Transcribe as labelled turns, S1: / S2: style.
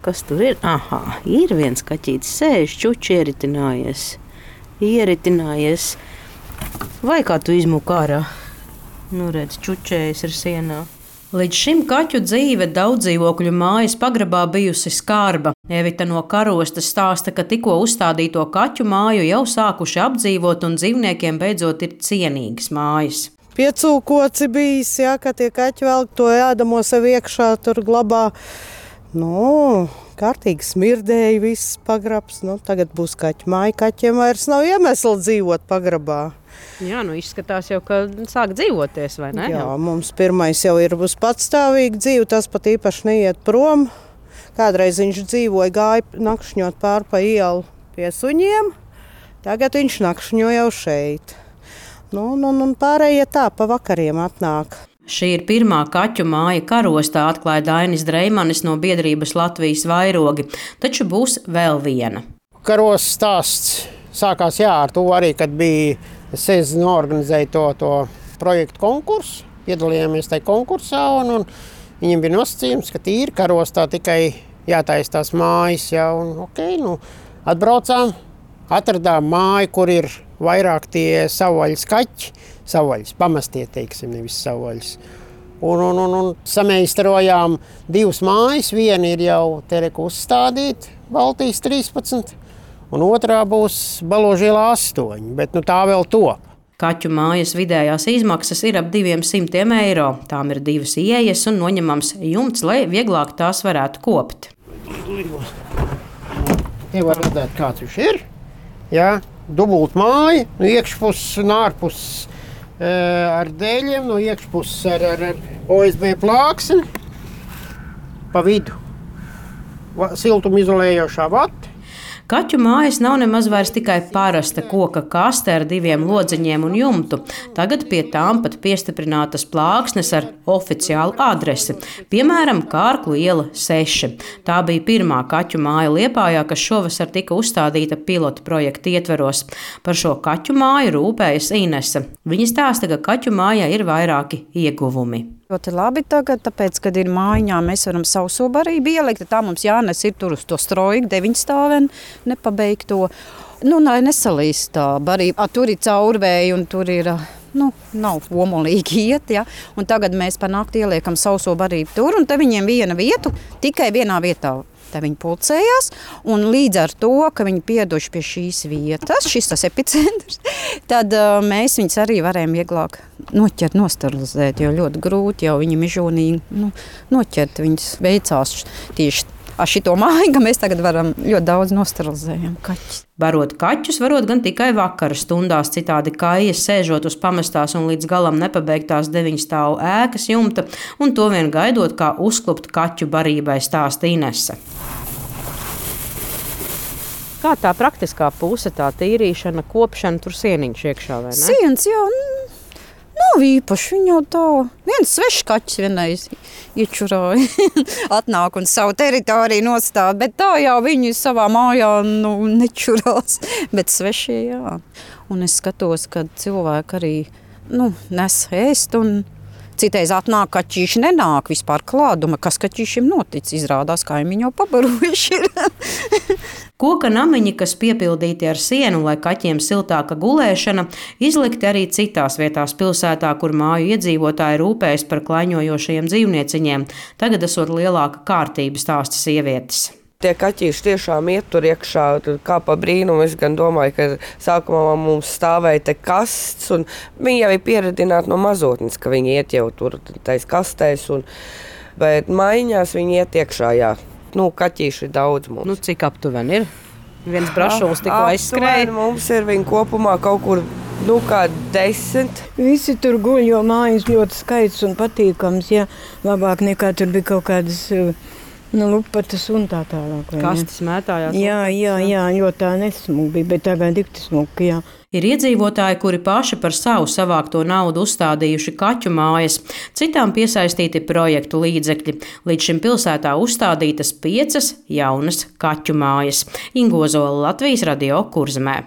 S1: Kas tur ir? Aha, ir viens kaķītis, sēž, čuči ieritinājies. Vai kā tu izmuki ārā? Nu, redz, čučējis ir sienā. Līdz šim kaķu dzīve daudzdzīvokļu mājas pagrabā bijusi skarba. Evita no Karostas stāsta, ka tikko uzstādīto kaķu māju jau sākuši apdzīvot un dzīvniekiem beidzot ir cienīgas mājas.
S2: Piecūkoci bijis, jā, ka tie kaķi velk to ēdamo sev iekšā, tur glabā. Kārtīgi smirdēja viss pagrabs. Tagad būs kaķu māja, kaķiem vairs nav iemesla dzīvot pagrabā.
S1: Jā, izskatās jau, ka sāk dzīvoties, vai ne?
S2: Jā, mums pirmais jau ir uz patstāvīgu dzīvi, tas pat īpaši neiet prom. Kādreiz viņš dzīvoja, gāja nakšņot pār pa ielu pie suņiem, tagad viņš nakšņo jau šeit. Un pārējie tā pa vakariem atnāk.
S1: Šī ir pirmā kaķu māja Karostā, atklāja Dainis Dreimanis no biedrības Latvijas vairogi, taču būs vēl viena.
S3: Karostas stāsts sākās ar to arī, kad bija sezonu organizēja to projektu konkursu. Piedalījāmies tajā konkursā un viņiem bija nosacījums, ka tīri Karostā tikai jātaisa tās mājas. Atbraucām, atradām māju, kur ir vairāk tie savvaļas kaķi. Savvaļas, pamestie, teiksim, nevis savvaļas. Un sameistarojām 2 mājas. Viena ir jau Tereku uzstādīta, Baltijas 13. Un otrā būs Baložielā 8, bet tā vēl top.
S1: Kaķu mājas vidējās izmaksas ir ap 200 eiro. Tām ir 2 ieejas un noņemams jumts, lai vieglāk tās varētu kopt.
S3: Te var redzēt, kāds viņš ir. Jā, dubult māja, no iekšpuses un ārpuses ar dēļiem, no iekšpuses ar OSB plāksni. Pa vidu siltumizolējošā vata.
S1: Kaķu mājas nav nemaz vairs tikai parasta koka kaste ar 2 lodziņiem un jumtu. Tagad pie tām pat piestiprinātas plāksnes ar oficiālu adresi, piemēram, Kārklu iela 6. Tā bija pirmā kaķu māja Liepājā, kas šovasar tika uzstādīta pilota projekta ietveros. Par šo kaķu māju rūpējas Inese. Viņa stāsta, ka kaķu mājā ir vairāki ieguvumi.
S4: Ļoti labi tagad, tāpēc, kad ir mājiņā, mēs varam sauso barību ielikt. Tā mums jānes ir tur uz to stroju, 9 stāveni, nepabeigto. Lai nesalīst tā barība. Tur ir caurvēji un tur ir, nav omolīgi iet, ja. Un tagad mēs pa nakti ieliekam sauso barību tur, un te viņiem viena vietu, tikai vienā vietā. Te viņi pulcējās, un līdz ar to, ka viņi pieduši pie šīs vietas, šis tas epicentrs, tad mēs viņus arī varējām vieglāk noķert, nosterilizēt, jo ļoti grūti jau viņi mežonīgi noķert. Viņus veicās tieši ar šito māju, ka mēs tagad varam ļoti daudz nosterilizējam kaķus.
S1: Barot kaķus varot gan tikai vakara stundās, citādi kājas sēžot uz pamestās un līdz galam nepabeigtās 9 stāvu ēkas jumta, un to vien gaidot, kā uzklupt kaķu barībai, stāsta Inese. Kā tā praktiskā puse, tā tīrīšana, kopšana, tur sieniņš iekšā, vai ne?
S4: Siens, jā, nav īpaši, viņa jau tā. Viens svešs kaķis vienreiz iečurāja, atnāk un savu teritoriju nostāda, bet tā jau viņi savā mājā nečurās, bet svešie, jā. Un es skatos, ka cilvēki arī nes ēst un citreiz atnāk kaķīši, nenāk vispār klāduma, kas kaķīšiem noticis, izrādās, kaimiņi jau pabarojuši ir.
S1: Koka namiņi, kas piepildīti ar sienu, lai kaķiem siltāka gulēšana, izlikti arī citās vietās pilsētā, kur māju iedzīvotāji rūpējas par klaiņojošajiem dzīvnieciņiem. Tagad esot lielāka kārtība, stāsta sievietes.
S5: Tie kaķīši tiešām iet tur iekšā, kā pa brīnumu. Es gan domāju, ka sākumā mums stāvēja te kasts, un viņi jau ir pieredzināti no mazotnes, ka viņi iet jau tur tais kastēs, bet maiņās viņi iet iekšā, jā. Kaķīši ir daudz mums.
S1: Cik aptuveni ir? Viens brašulis tikko aizskrēja.
S5: Mums ir viņi kopumā kaut kur, kā 10.
S6: Visi tur guļ, jo mājas ļoti skaists un patīkams, jā. Labāk nekā tur bija kaut kādas lupatas un tā tālāk.
S1: Kastis mētājās.
S6: Jā, jo tā nesmuka bija, bet tagad dikti smuka, jā.
S1: Ir iedzīvotāji, kuri paši par savu savākto naudu uzstādījuši kaķu mājas, citām piesaistīti projektu līdzekļi. Līdz šim pilsētā uzstādītas 5 jaunas kaķu mājas. Ingo Zola, Latvijas Radio, Kurzemē.